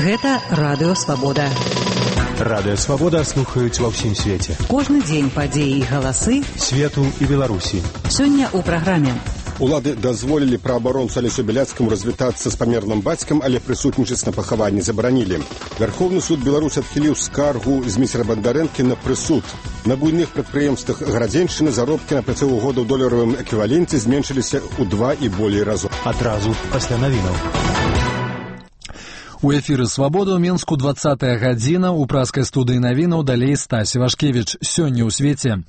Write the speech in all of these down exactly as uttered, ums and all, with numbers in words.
Гэта Радыё Свабода. Радыё Свабода слухаюць ва ўсім свеце. Кожны дзень падзеі і галасы свету і Беларусі. Сёння ў праграме. Улады дазволілі праабаронцу Алесю Беляцкаму развітацца з памерлым бацькам, але прысутнічаць на пахаванні забаранілі. Вярхоўны суд Беларусі адхіліў скаргу з міцера Бандарэнкі на прысуд. На буйных прадпрыемствах Гарадзеншчыны заробкі на працягу года ў доларавым эквіваленце зменшыліся ў два і болей разоў. Адразу пасля навінаў. У эфіры «Свабода» ў Менску двадцатая гадзіна, у праскай студыі навінаў далей Стась Івашкевіч. Сёння ў свеце.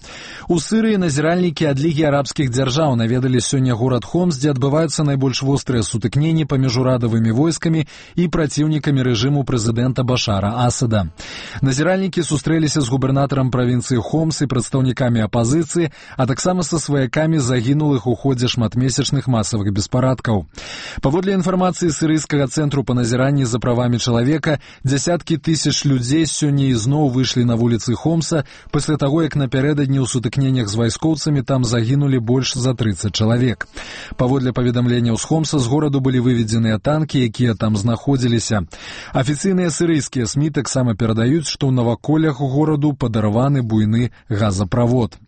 У Сырыі назіральнікі ад Лігі арабскіх дзяржаў наведалі сёння горад Хомс, дзе адбываюцца найбольш вострыя сутыкненні паміж урадавымі войскамі і праціўнікамі рэжыму прэзідэнта Башара Асада. Назіральнікі сустрэліся з губернатарам правінцыі Хомс і прадстаўнікамі апазіцыі, а таксама са сваякамі загінулых у ходзе шматмесячных масавых беспарадкаў. Паводле інфармацыі сірыйскага цэнтру па назіранні за правамі чалавека, дзясяткі тысяч людзей сёння ізноў выйшлі на вуліцы Хомса пасля таго, як напярэдадні ў сутыкненнях з вайскоўцамі там загінулі больш за трыццаць чалавек. Паводле паведамленняў з Хомса, з гораду былі выведзеныя танкі, якія там знаходзіліся. Афіцыйныя сірыйскія СМІ таксама перадаюць, што ў наваколлях гораду падарваны буйны газаправод.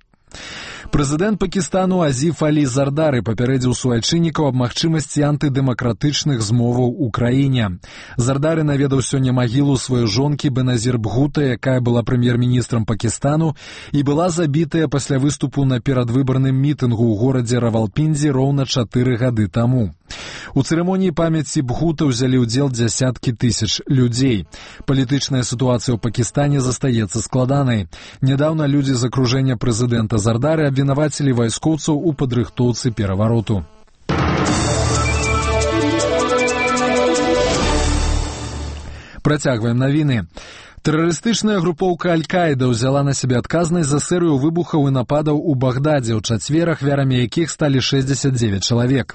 Прэзідэнт Пакістану Азіф Алі Зардары папярэдзіў суайчыннікаў аб магчымасці антыдэмакратычных змоваў у краіне. Зардары наведаў сёння магілу сваёй жонкі Беназір Бхута, якая была прэм'ер-міністрам Пакістану і была забітая пасля выступу на перадвыбарным мітынгу ў горадзе Равалпіндзі роўна чатыры гады таму. У цырымоніі памяці Бхута ўзялі ўдзел дзясяткі тысяч людзей. Палітычная сітуацыя ў Пакістане застаецца складанай. Нядаўна людзі з акружэння прэзідэнта Зардары абвінавацілі вайскоўцаў у падрыхтоўцы перавароту. Працягваем навіны. Тэрарыстычная групоўка Аль-Каіда ўзяла на сябе адказнасць за серыю выбухаў і нападаў у Багдадзе, ў чацвер ахвярамі якіх сталі шэсцьдзесят дзевяць чалавек.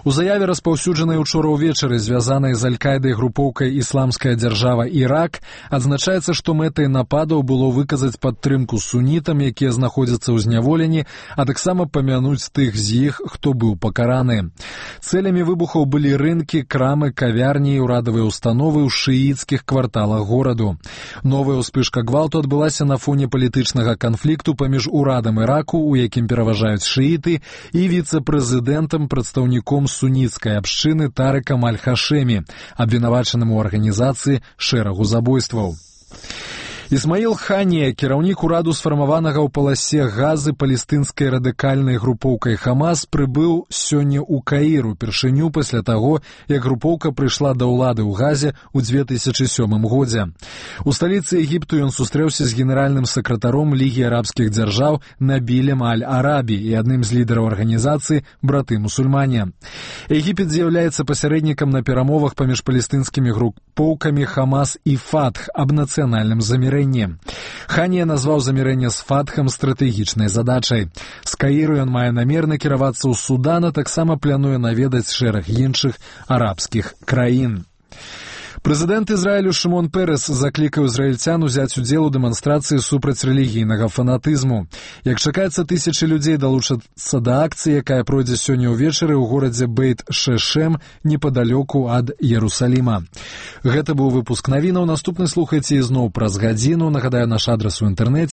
У заяве, распаўсюджанай учора ўвечары, звязанай з Аль-Каідай групоўкай «Ісламская дзяржава Ірак», адзначаецца, што мэтай нападаў было выказаць падтрымку сунітам, якія знаходзяцца ў зняволенні, а таксама памянуць тых з іх, хто быў пакараны. Цэлямі выбухаў былі рынкі, крамы, кавярні і ўрадавыя установы ў шыіцкіх кварталах гораду. Новая ўспышка гвалту адбылася на фоне палітычнага канфлікту паміж урадам Іраку, у якім пераважаюць шыіты, і віцэ-прэзідэнтам, прадстаўніком суніцкай абшчыны Тарыкам Аль-Хашэмі, абвінавачаным у арганізацыі шэрагу забойстваў. Ісмаіл Ханія, кіраўнік ураду сфармаванага ў паласе Газы палестынскай радыкальнай групоўкай Хамас, прыбыў сёння ў Каір упершыню пасля таго, як групоўка прыйшла да ўлады ў Газе ў дзве тысячы сёмым годзе. У сталіцы Егіпту ён сустрэўся з генеральным сакратаром Лігі арабскіх дзяржаў Набілем Аль-Арабі і адным з лідараў арганізацыі «Браты-мусульмане». Егіпет з'яўляецца пасярэднікам на перамовах паміж палестынскімі групоўкамі Хамас і Фатх аб нацыянальным замірэнні. Ханія назваў замірэнне з Фатхам стратэгічнай задачай. З Каіру ён мае намер накіравацца ў Судан, а таксама плануе наведаць шэраг іншых арабскіх краін. Прэзідэнт Ізраілю Шымон Пэрэс заклікаў ізраільцян узяць удзел у дэманстрацыі супраць рэлігійнага фанатызму. Як чакаецца, тысячы людзей далучацца да акцыі, якая пройдзе сёння ўвечары ў горадзе Бейт-Шешэм непадалёку ад Иерусаліма. Гэта быў выпуск навінаў. Наступны слухайце ізноў праз гадзіну. Нагадаю, наш адрас у інтэрнэце